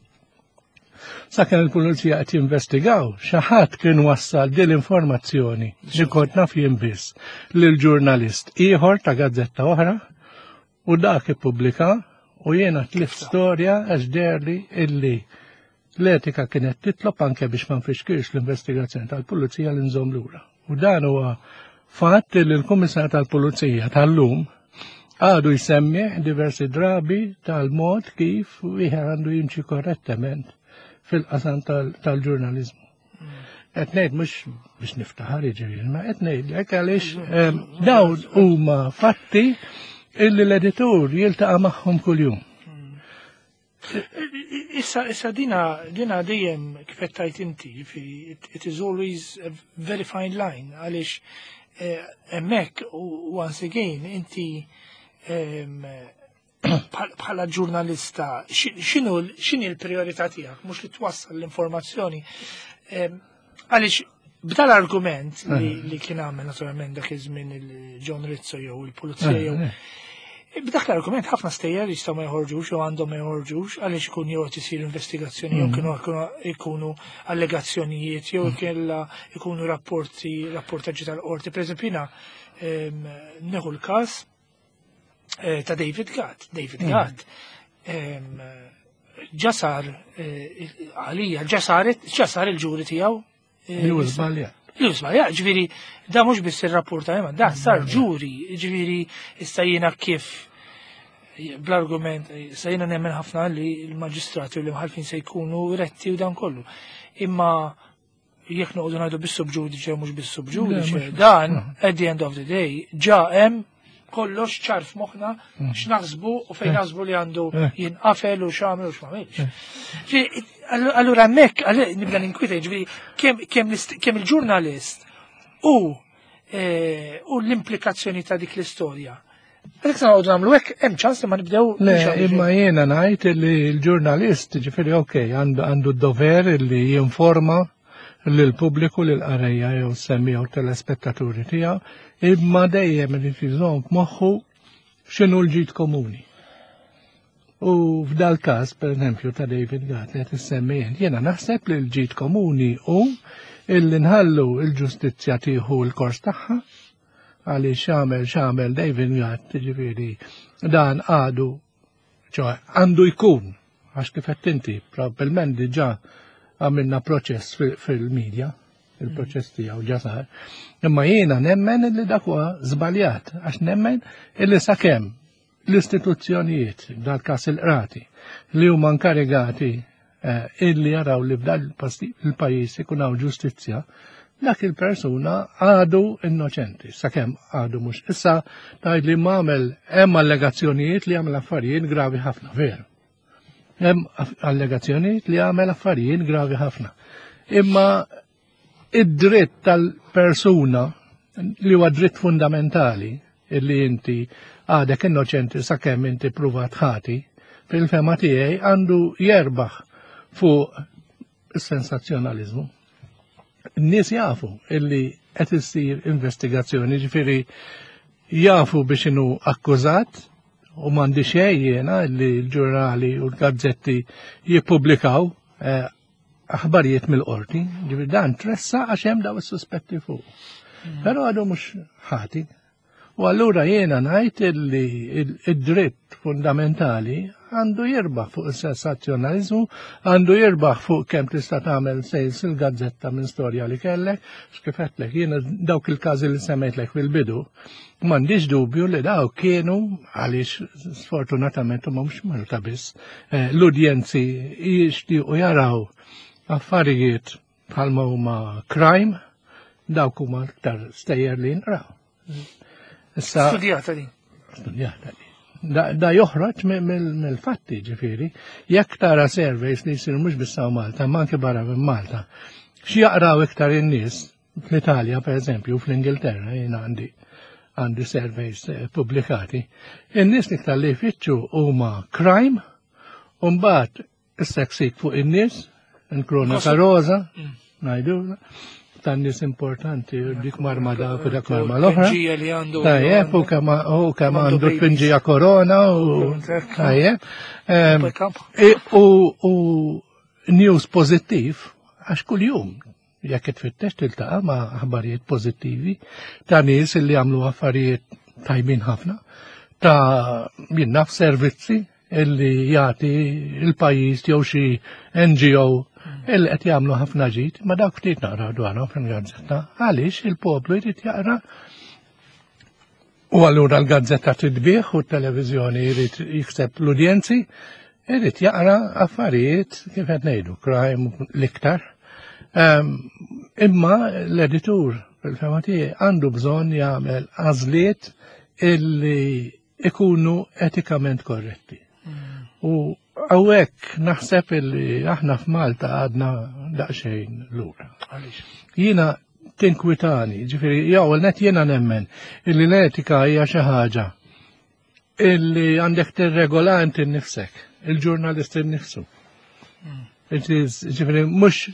Sakemm il-pulizija qed jinvestigaw, xi ħadd kien wassal din l-informazzjoni li kont naf jien biss lil ġurnalist ieħor ta' gazzetta oħra u dak ippubblika u jiena tlift storja għax derli illi l-etika kienet titlob anke biex ma nfixkirx l-investigazzjoni tal-pulizija li nżomm lura. U dan huwa fatt li l-Kummissar tal-Pulizija tal-lum għadu jsemmi diversi drabi tal-mod kif wieħed għandu jimxi korrettament fil-qasam tal-ġurnaliżmu. Qed ngħid mhux biex niftaħar jiġifieri, ma qed ngħidlek għaliex ehm, dawn huma fatti illi l-editur jiltaqa' magħhom kuljum. Issa, issa dina, dina dejjem kif qed tgħid inti, jiġifieri, it is always a very fine line għaliex eh, hemmhekk once again inti ehm, bħala ġurnalista x'inhu x'inhi l-priorità tiegħek mhux li twassal l-informazzjoni ehm, għaliex b'dal argument li, eh. li kien għamel naturalment dak iż-żmien il-John Rizzo jew il-Pulizija jew eh, B'dak l-argument ħafna stejjer jistgħu ma joħorġux jew għandhom ma joħorġux għaliex ikun jew qed isir investigazzjoni jew mm. kienu ikunu allegazzjonijiet jew mm. kella ikunu rapporti rapportaġġi tal-qorti. Pereżempju jiena ehm, neħu l-każ eh, ta' David Gatt. David mm. Gatt ehm, ġasar eh, għalija ġasar il-ġuri tiegħu Eh, li hu żbaljat. Li hu żbaljat, ġifieri da mhux biss ir-rapport ta' da sar ġuri, ġifieri issa jiena kif bl-argument, issa jiena nemmen ħafna li l-maġistrati u l-imħalfin se jkunu retti u dan kollu. Imma jekk noqogħdu ngħidu bis-subġudice mhux bis-subġudice, dan at the end of the day ġa hemm kollox ċar f'moħħna mm. x'naħsbu u fejn eh. naħsbu li għandu eh. jinqafel u x'għamel u x'm'għamilx. Eh. Allura hemmhekk nibda ninkwita jiġifieri kemm il-ġurnalist u u l-implikazzjoni ta' dik l-istorja. Għalhekk se noqogħdu nagħmlu hekk hemm ċans li ma nibdew. Le, imma jiena ngħid li l-ġurnalist ġifieri okej għandu d-dover li jinforma lill-pubbliku, lill-qarrejja jew semmi jew telespettaturi tiegħu, imma dejjem irid iżomm f'moħħu x'inhu l-ġid komuni. U f'dal każ, per eżempju, ta' David Gatt li qed issemmi jiena naħseb li l-ġid komuni hu illi nħallu l-ġustizzja tieħu l-kors tagħha għaliex x'għamel x'għamel David Gatt, ġifieri dan għadu ċoħe, għandu jkun, għax kif qed inti, probabbilment diġà għamilna proċess fil-medja, il-proċess tiegħu ġa sar. Imma jiena nemmen li dak huwa żbaljat, għax nemmen illi sakemm l-istituzzjonijiet, dal-każ il-qrati, li huma nkarigati eh, illi jaraw li f'dan il-pajjiż ikun hawn ġustizzja, dak il-persuna għadu innoċenti, sakemm għadu mhux. Issa tgħid li m'għamel hemm allegazzjonijiet li għamel affarijiet gravi ħafna, veru. Hemm allegazzjonijiet li għamel affarijiet gravi ħafna. Imma id-dritt tal-persuna li huwa dritt fundamentali illi inti għadek innoċenti sakemm inti pruvat ħati, fil-fema tiegħi għandu jerbaħ fuq is-sensazzjonaliżmu. N-nies jafu illi qed issir investigazzjoni, ġifieri jafu biex inhu akkużat. u m'għandi xejn jiena li l-ġurnali u l-gazzetti jippubblikaw eh, aħbarijiet mill-qorti, ġifieri dan tressa għax hemm daw is-suspetti fuq. Però għadu mhux ħati. U allura jiena ngħid li id-dritt fundamentali għandu jirbaħ fuq is-sensazzjonaliżmu, għandu jirbaħ fuq kemm tista' tagħmel sales il-gazzetta minn storja li kellek, x'kif jiena dawk il-każi li semmejtlek fil-bidu, m'għandix dubju li dawk kienu għaliex sfortunatament huma mhux Malta biss, eh, l-udjenzi jixtiequ jaraw affarijiet bħalma huma crime, dawk huma aktar stejjer li nqraw. Issa Studjata din. Studjata din. Da, da joħroġ mill-fatti ġifieri, jekk tara surveys li jsiru mhux biss Malta, ma anke barra minn Malta. X'jaqraw iktar in-nies fl-Italja pereżempju, fl-Ingilterra jien għandi għandi surveys eh, pubblikati, in-nies iktar li jfittxu huma crime, u mbagħad is-seksik fuq in-nies, il-krona rosa, mm. ngħidu, tan-nies importanti, dik marma dak u dak marma l-oħra. li għandu. Tajjeb, u kemm u kemm għandu tpinġija korona u tajjeb. U news pożittiv għax kuljum jekk tfittex tiltaqa' ma' aħbarijiet pożittivi ta' nies li għamlu affarijiet tajbin ħafna, ta' jien naf servizzi illi jagħti il-pajjiż jew xi NGO illi qed jagħmlu ħafna ġid, ma dawk ftit naqra dwarhom fil-gazzetta. Għaliex il-poplu jrid jaqra u allura l-gazzetta titbih u t-televiżjoni jrid jikseb l-udjenzi, jrid jaqra affarijiet kif qed ngħidu, crime l-iktar. Ehm, imma l-editur fil-fema tiegħi għandu bżonn jagħmel għażliet illi ikunu etikament korretti. U għawek naħseb illi aħna f'Malta għadna daqsxejn lura. Jiena tinkwitani, ġifieri jew net jiena nemmen illi l-etika hija xi ħaġa illi għandek tirregola inti nnifsek, il-ġurnalist innifsu. Hmm. Ġifieri mhux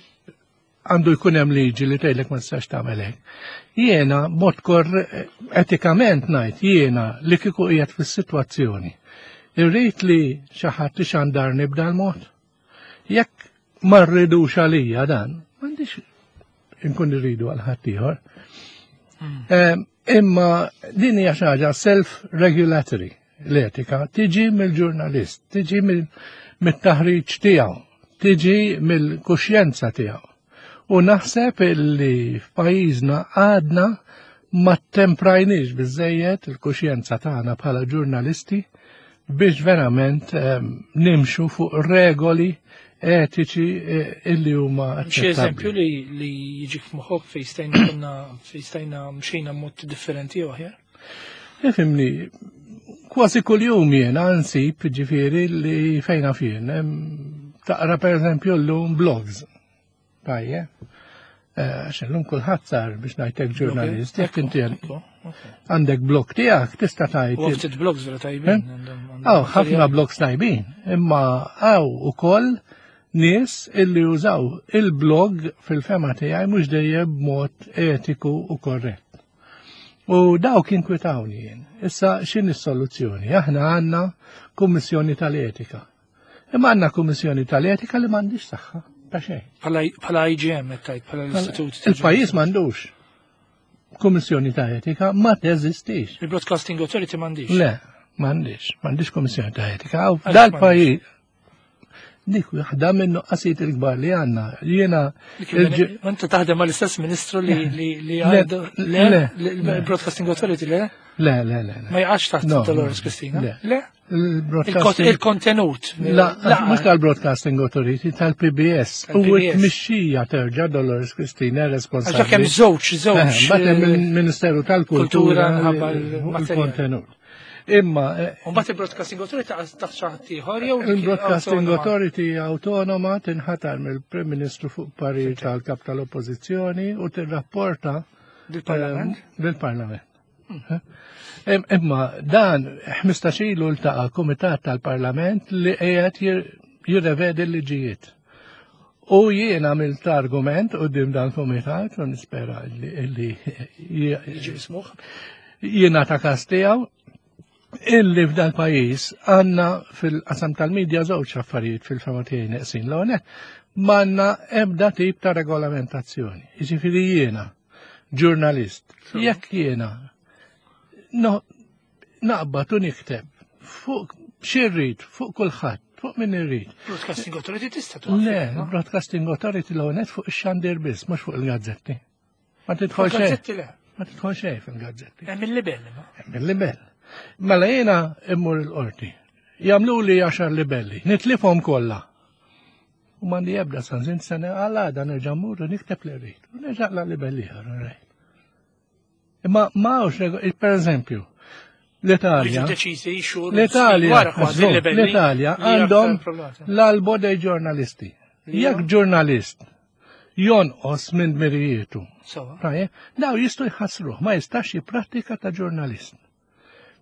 għandu jkun hemm liġi li tgħidlek ma tistax tagħmel hekk. Jiena mod kor etikament ngħid jiena li kieku qiegħed fis-sitwazzjoni. Irrid li xi ħadd ixandarni b'dan mod. Jekk ma rridux għalija dan, m'għandix inkun irridu għal ħaddieħor. Hmm. Ehm, imma din hija xi ħaġa self-regulatory l-etika tiġi mill-ġurnalist, tiġi mit-taħriġ tiegħu, tiġi mill-kuxjenza tiegħu. U naħseb li f'pajjiżna għadna ma temprajniex biżejjed il-kuxjenza tagħna bħala ġurnalisti biex verament ehm, nimxu fuq regoli etiċi eh, illi huma Xi eżempju li li jiġik f'moħħok fejn stajna konna fejn stajna mxejna mod differenti jew aħjar? Ifimni, kważi kuljum jiena nsib ġifieri li fejna fien. Taqra per eżempju llum blogs. Tajje. Eh, għax illum kulħadd sar biex ngħidlek ġurnalist, jekk inti għandek blog tiegħek tista' tgħid. U ftit blogs vera tajbin. Eh? Aw, ħafna blogs tajbin, imma hawn ukoll nies illi jużaw il-blog fil-fema tiegħi mhux dejjem b'mod etiku u korrett. U dawk inkwitawni jien. Issa x'in is-soluzzjoni? Aħna għandna kummissjoni tal-etika. Imma għandna kummissjoni tal-etika li m'għandix saħħa ta' xejn. Bħala IGM qed tgħid, bħala l-Istitut. Il-pajjiż m'għandux kummissjoni ta' etika ma teżistix. Il-Broadcasting Authority m'għandix. Le, m'għandix, m'għandix kummissjoni ta' etika. Dal-pajjiż Dik waħda minn nuqqasijiet il-kbar li għandna. Jiena. Inti taħdem mal-istess ministru li li għandu l-Broadcasting Authority le? Le, le, le. Ma jaqax taħt Dolores Cristina? Le. Il-kontenut. Mhux tal-Broadcasting Authority, tal-PBS. U t-mixxija terġa' Dolores Cristina responsabbli. Għax hemm żewġ, żewġ. Eh, Mbagħad hemm il-Ministeru tal-Kultura il-kontenut. Imma. Eh, Mbagħad il-Broadcasting Authority taħt xi ħadd ieħor jew Il-Broadcasting Authority autonoma tinħatar mill-Prim Ministru fuq parir tal-Kap tal-Oppożizzjoni u tirrapporta lill-Parlament. Eh, lill-Parlament. Hmm. Imma dan 15 ilu ltaqa' Kumitat tal-Parlament li qiegħed jirrevedi l-liġijiet. U jien għamilt argument quddiem dan kumitat u nispera li jiġi jiena ta' kas tiegħu. Illi f'dal pajjiż għandna fil-qasam tal-medja żewġ affarijiet fil-fema tiegħi neqsin l m'għandna ebda tip ta' regolamentazzjoni. Jiġifieri jiena ġurnalist, jekk jiena no, naqbad u nikteb fuq xirrid, fuq kulħadd, fuq min irrid. Broadcasting Authority tista' tuqaf. Le, Broadcasting Authority l fuq ix-xandir biss, mhux fuq il-gazzetti. Ma tidħol xejn. Ma tidħol xejn fil-gazzetti. Hemm il-libell. Hemm il-libell. Mela jiena immur il-qorti. Jagħmlu li għaxar libelli, nitlifhom kollha. U m'għandi ebda sanzin sena għal għada nerġa' mmur u nikteb li rrid. U nerġa' la libelli ieħor Imma ma hawnx, per eżempju, l-Italja. L-Italja, l-Italja għandhom l-albo dei ġurnalisti. Jekk ġurnalist jonqos minn dmirijietu. Daw jistgħu jħassruh, ma jistax jipprattika ta' ġurnalist.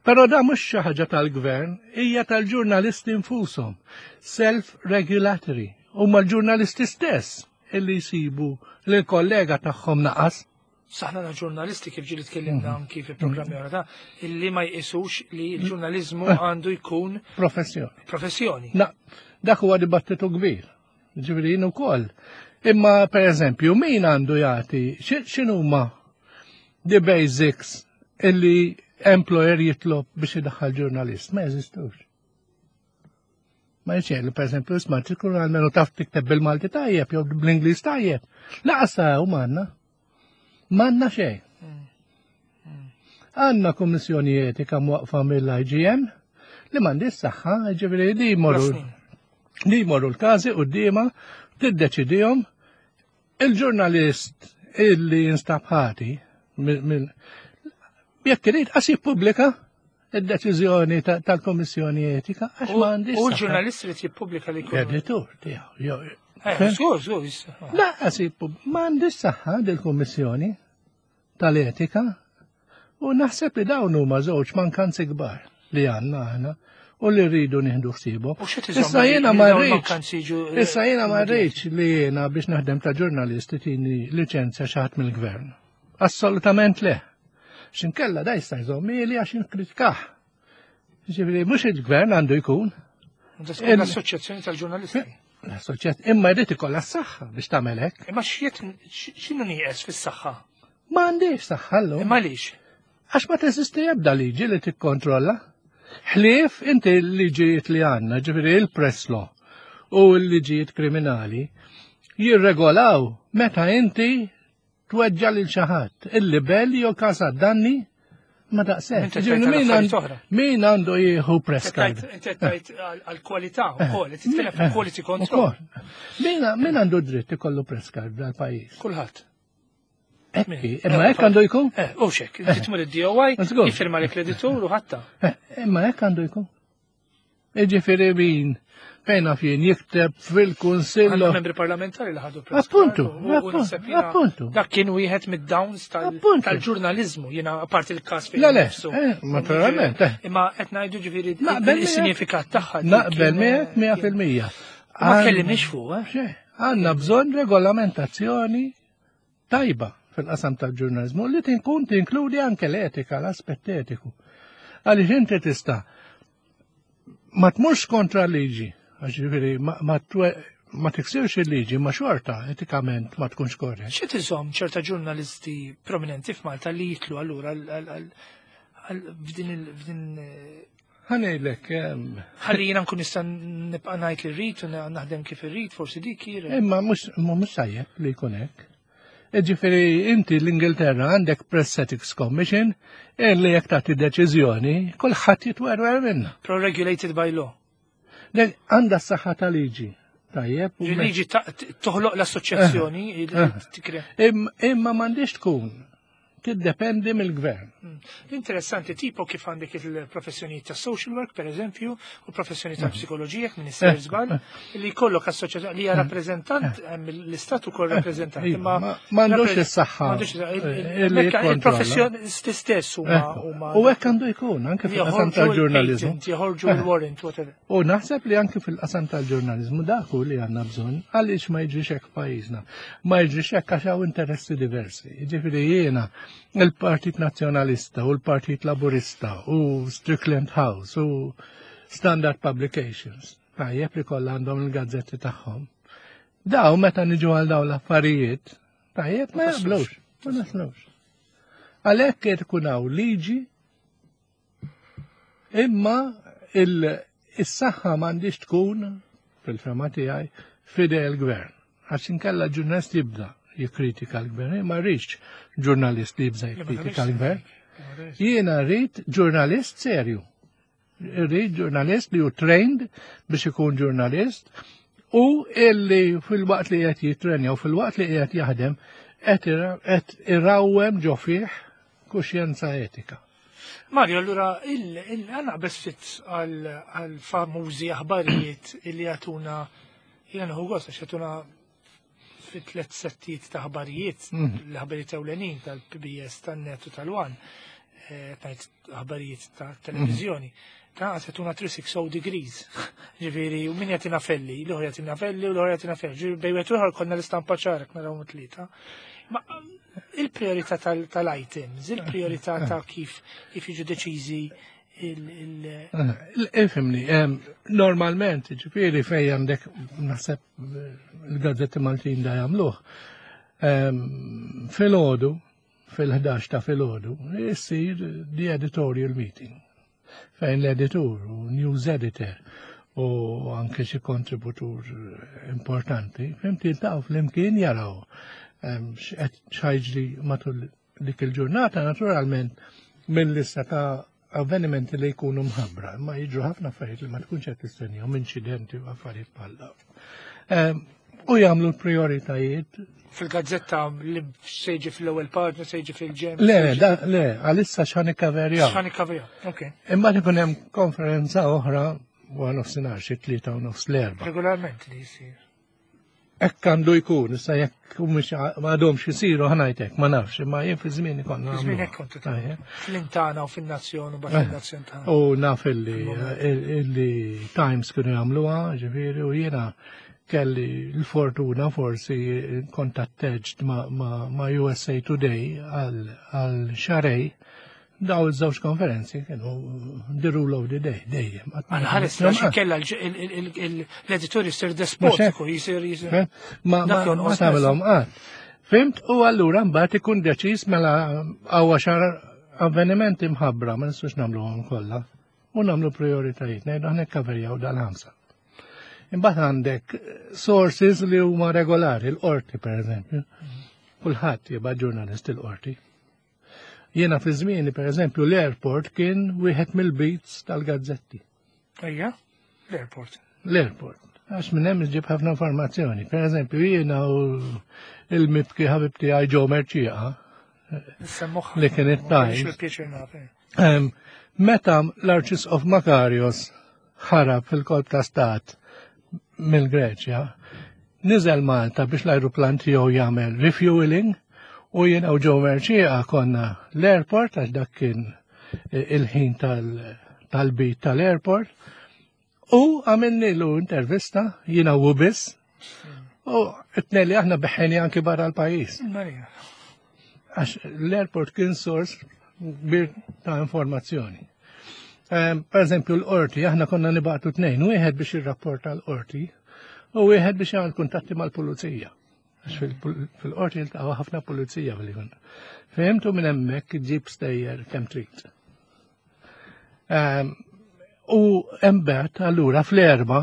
Però da mhux xi ħaġa tal-gvern, hija tal-ġurnalisti nfushom. Self-regulatory. Huma l-ġurnalisti stess illi jsibu li l-kollega tagħhom naqas. Saħna na ġurnalisti kif ġili tkellimna mhm. anki fi programmi oħra ta' illi ma jqisux li l-ġurnaliżmu eh. għandu jkun professjoni. Professjoni. Na, dak huwa dibattitu kbir. Ġifieri jien ukoll. Imma per eżempju, min għandu jagħti x'inhuma the basics illi employer jitlob biex idaħħal ġurnalist? Ma jeżistux. Ma jċellu, per eżempju, isma' tkun għalmenu taf tikteb bil-Malti tajjeb jew bl-Ingliż tajjeb. Laqas u manna. Manna xejn. Għanna kummissjoni etika mwaqfa mill-IGM li mandi s-saħħa, ġifieri li jmorru li jmorru l-każi qudiema tiddeċidihom il-ġurnalist illi jinstab ħati jekk irid qas jippubblika id-deċiżjoni tal-Kommissjoni Etika għax ma għandix. U l-ġurnalist li jippubblika li jkun. Editur tiegħu. Eh, żgur, żgur. Laqas ma għandix saħħa dil-Kummissjoni tal-Etika u naħseb li dawn huma żewġ mankanzi kbar li għandna aħna u li rridu nieħdu ħsiebhom. Issa jiena ma rridx. Issa jiena ma rridx li jiena biex naħdem ta' ġurnalisti tini liċenzja xi ħadd mill-gvern. Assolutament le. Xinkella da jista' jżomm li għax inkritikah. Ġifieri mhux il-gvern għandu jkun. L-Assoċjazzjoni tal-Ġurnalisti. L-Assoċjazzjoni imma jrid ikollha s-saħħa biex tagħmel hekk. Imma x'jiet x'inhu nieqes fis-saħħa? Ma għandix saħħa llum. Imma għaliex? Għax ma teżisti ebda liġi li tikkontrolla. Ħlief inti l-liġijiet li għandna, ġifieri il-press law u l-liġijiet kriminali, jirregolaw meta inti tweġġa' lil xi ħadd, il-libell jew każ danni ma daqshekk. Min għandu jieħu press card? Inti tajt għall-kwalità wkoll, qed titkellem fuq quality control. Min għandu dritt ikollu press card dal-pajjiż? Kulħadd. Ekki, imma hekk għandu jkun? Eh, u xek, inti tmur id-DOI, jiffirma l-kreditur u ħatta. Eh, imma hekk għandu jkun. Jiġifieri min fejn naf jien jikteb fil-Kunsill. Għandna membri parlamentari li ħadu press. Appuntu, appuntu. Dak kien wieħed mid-downs tal-ġurnaliżmu, jiena apparti il-każ fejn. Le, le, eh, naturalment. Eh. Imma qed ngħidu ġifieri is-sinifikat tagħha. Naqbel miegħek 100%. Ma kellimniex fuq, eh? Għandna bżonn regolamentazzjoni tajba fil-qasam tal-ġurnalizmu li tinkun tinkludi anke l-etika, l-aspett etiku. Għaliex inti tista' ma tmurx kontra liġi, għax ġifieri ma, ma tiksirx il-liġi, ma xorta etikament ma tkunx korrett. Xi tiżomm ċerta ġurnalisti prominenti f'Malta li jitlu allura f'din il Ħanejlek. Ħalli jiena nkun nista' nibqa' ngħid li rrid u naħdem kif irrid, forsi dik hi. Imma mhux mhux tajjeb li jkun hekk. Ġifieri inti l-Ingilterra għandek Press Ethics Commission li jekk tagħti deċiżjoni kulħadd jitwerwer minnha. Pro regulated by law. Għandha s-saħħa ta' liġi. Tajjeb. Liġi toħloq l-assoċjazzjoni. Eh, eh. Imma m'għandix tkun tiddependi mill-gvern. Hmm. Interessanti tipo kif għandek il-professjoni ta' social work, per eżempju, u professjoni ta' hmm. psikoloġija, minn isser eh, żball, eh. li jkollok assoċjazzjoni li hija hmm. rappreżentant, l-istat ukoll rappreżentant. Imma m'għandux is-saħħa. Il-professjoni stess huma. U hekk għandu jkun anke fil-qasam tal-ġurnaliżmu. Joħorġu il-warrant, whatever. U naħseb li anke fil-qasam tal-ġurnaliżmu dak hu li għandna bżonn għaliex ma jiġrix hekk f'pajjiżna. Ma jiġrix hekk għax hawn interessi diversi. Jiġifieri jiena il-Partit Nazzjonalista. Nazzjonalista u l-Partit Laburista u Strickland House u Standard Publications, tajjeb li kollha għandhom il-gazzetti tagħhom. Daw meta niġu għal daw l-affarijiet, tajjeb ma jaqblux, ma naslux. Għalhekk qed ikun hawn liġi imma il-saħħa m'għandix tkun fil-fema tiegħi fidej il-gvern. Għax inkella ġurnalist jibda jikkritika l-gvern, ma rridx ġurnalist li jibda jikkritika l-gvern. Jiena rrid ġurnalist serju. Rrid ġurnalist li hu trained biex ikun ġurnalist u illi fil-waqt li qed jitrenja u fil-waqt li qed jaħdem qed irawwem ġo fih kuxjenza etika. Mario, allura għanna ftit għal-famużi aħbarijiet illi jagħtuna jiena nħu gost għax jagħtuna fit tlet settijiet ta' aħbarijiet, l-aħbarijiet ewlenin tal-PBS, tan-Net u tal-One, tajt aħbarijiet ta' televizjoni. Ta' jagħtuna 360 degrees. Ġifieri, u min jagħtina felli, l-ieħor jagħtina felli u l-ieħor jagħtina felli. Ġifieri bejn wieħed u ieħor konna l-istampa ċara naraw tlieta. Ma il-priorità tal-items, il-priorità ta' kif kif jiġu deċiżi il- Ifhimni, normalment, ġifieri fej għandek naħseb il-gazzetti Maltin da jagħmluh. Filgħodu, fil-11 ta' filgħodu, issir the editorial meeting fejn l-editur u news editor u anke xi kontributur importanti, fhimt jiltaqgħu flimkien jaraw x'qed x'ħa jiġri matul dik il-ġurnata, naturalment minn lista ta' avvenimenti li jkunu mħabbra, ma jiġru ħafna affarijiet li ma tkunx qed tistennihom, inċidenti u affarijiet bħal dawn. U jagħmlu l-prioritajiet. Fil-gazzetta li se jiġi fl-ewwel paġna, se jiġi fil-ġenb. Le, le, għalissa x'ħa nikkaverjaw. X'ħa nikkaverjaw, ok. Imma ikun hemm konferenza oħra wara nofsinhar xi 3:30 l-4. Regolarment li jsir. Hekk għandu jkun, issa jekk mhux m'għadhomx isiru ħa ngħidlek, ma nafx, imma jien fi żmien konna. Fi żmien hekk kontu fl-intana u fin-nazzjon u bat fin-nazzjon tagħna. U naf illi Times kienu jagħmluha, ġifieri, u jiena kelli l-fortuna forsi kontatteġt ma' USA Today għal xarej. Daw iż-żewġ konferenzi kienu the rule of the day, dejjem. Għal ħares għax kella l-editur jisir despotiku, jisir jisir. Ma tagħmelhom qatt. Fhimt? U allura mbagħad ikun deċiż mela hawn xar avvenimenti mħabbra, ma nistgħux nagħmluhom kollha. U nagħmlu prioritajiet, ngħidu aħna kkaverjaw dal-ħamsa. Imbagħad għandek sources li huma regolari, l-qorti per eżempju. Kulħadd jibgħat ġurnalist il-qorti. Jiena fi żmieni, per eżempju, l-airport kien wieħed mill-beats tal-gazzetti. Ejja, l-airport. L-airport. Għax minn hemm iġib ħafna informazzjoni. Per eżempju, jiena u il-mibki ħabib tiegħi Joe Mercieca, li kien it-Times. Meta l-Arċisqof Makarios ħarab fil-kolp ta' stat mill-Greċja, niżel Malta biex l-ajruplan tiegħu jagħmel refueling u jiena u Joe Mercieca konna l-airport għax dak kien il-ħin tal-beat tal-airport u għamilnilu intervista jiena u biss u it-tnejn li aħna beħħeni anki barra l-pajjiż. Għax l-airport kien sors kbir ta' informazzjoni. Per eżempju, l-qorti, aħna konna nibagħtu tnejn, wieħed biex jirrapporta l-qorti u wieħed biex jagħmel kuntatti mal-pulizija. Għax fil-qorti jiltaqgħu ħafna pulizija fil konna. Fehmtu minn hemmhekk ġib stejjer kemm trid. U mbagħad allura fl-4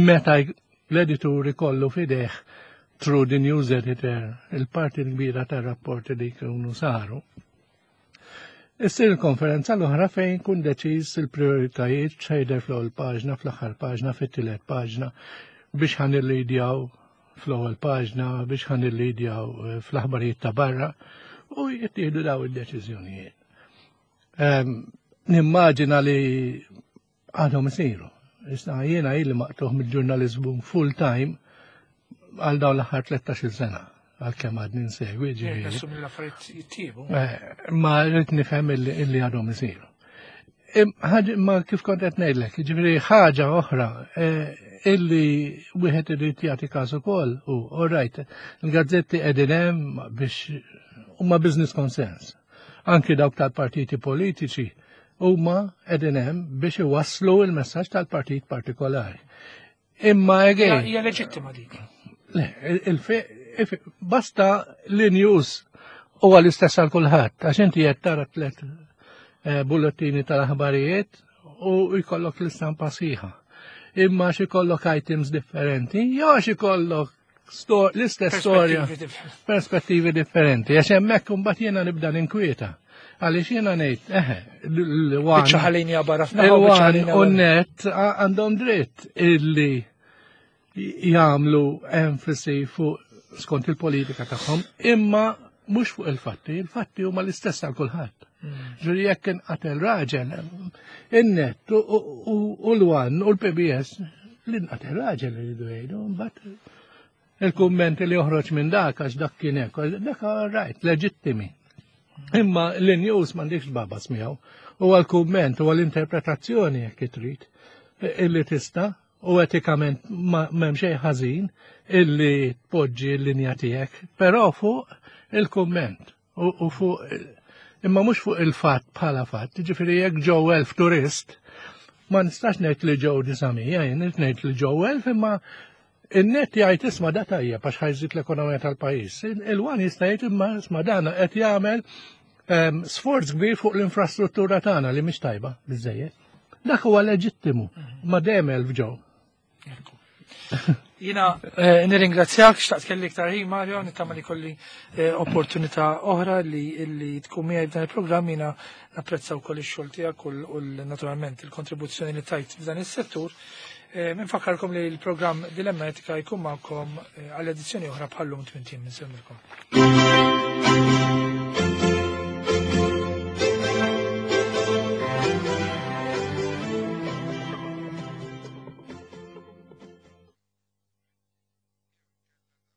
meta l-editur ikollu f'idejh through the news editor il-parti l-kbira tar-rapporti li jkunu saru. Issir il-konferenza l-oħra fejn kun deċiż il-prioritajiet xejder fl-ewwel paġna, fl-aħħar paġna, fit-tielet paġna biex ħan illidjaw fl-ewwel paġna, biex ħan illidjaw fl-aħbarijiet ta' barra u jittieħdu daw id-deċiżjonijiet. Nimmaġina li għadhom isiru. Issa jiena ili maqtugħ mill-ġurnaliżmu full time għal dawn l-aħħar 13 sena għal kemm għadni nsegwi ġifieri. Nassumi l-affarijiet jittiebu. Ma rrid nifhem illi għadhom isiru. Ma kif kont qed ngħidlek, ġifieri ħaġa oħra illi wieħed irid jagħti każ ukoll u all right, il-gazzetti qegħdin hemm biex huma business concerns. Anki dawk tal-partiti politiċi huma qegħdin hemm biex iwasslu il-messaġġ tal-partit partikolari. Imma again. Hija leġittima dik. Le, basta li news huwa l-istess għal kulħadd, għax inti qed tara tlet eh, bullettini tal-aħbarijiet u jkollok l-istampa sħiħa. Imma xi jkollok items differenti, jew għax ikollok l-istess storja, perspettivi differenti. Għax hemmhekk imbagħad jiena nibda ninkwieta. Għaliex jiena ngħid, eħe, l-wan. Biċċa barra f'naħa. U net għandhom dritt illi jagħmlu enfasi fuq skont il-politika tagħhom, imma mhux fuq il-fatti, il-fatti huma l-istess għal kulħadd. Hmm. Ġuri jekk inqatel raġel, in-net u l-wan u l-PBS l-inqatel raġel iridu jgħidu, mbagħad il-kumment li joħroġ minn dak għax dak kien hekk, dak rajt, leġittimi. Imma l-news m'għandekx babas miegħu. Huwa l-kumment, huwa l-interpretazzjoni jekk trid illi tista' u etikament m'hemm xejn ħażin illi tpoġġi l-linja tiegħek, però fuq il-kumment u fuq imma mhux fuq il-fatt bħala fatt, ġifieri jekk ġew elf turist, ma nistax ngħid li ġew disamija, jien ngħid li ġew elf imma in-net jgħid isma' da tajjeb għax ħajżid l-ekonomija tal-pajjiż. Il-wan jista' jgħid imma isma' dan qed jagħmel ehm, sforz kbir fuq l-infrastruttura tagħna li mhix tajba biżejjed. Dak huwa leġittimu, ma dejjem elf ġew. Jina eh, nirringrazzjak, xtaqt kelli iktar ħin Mario, nittama li kolli eh, opportunità oħra li, li tkun miegħi f'dan il-programm jina napprezza wkoll ix-xogħol tiegħek u naturalment il-kontribuzzjoni li tajt f'dan is-settur. Eh, Minfakkarkom li l-programm Dilemma Etika jkun magħkom għall edizzjoni oħra bħallum 80 minn semmilkom.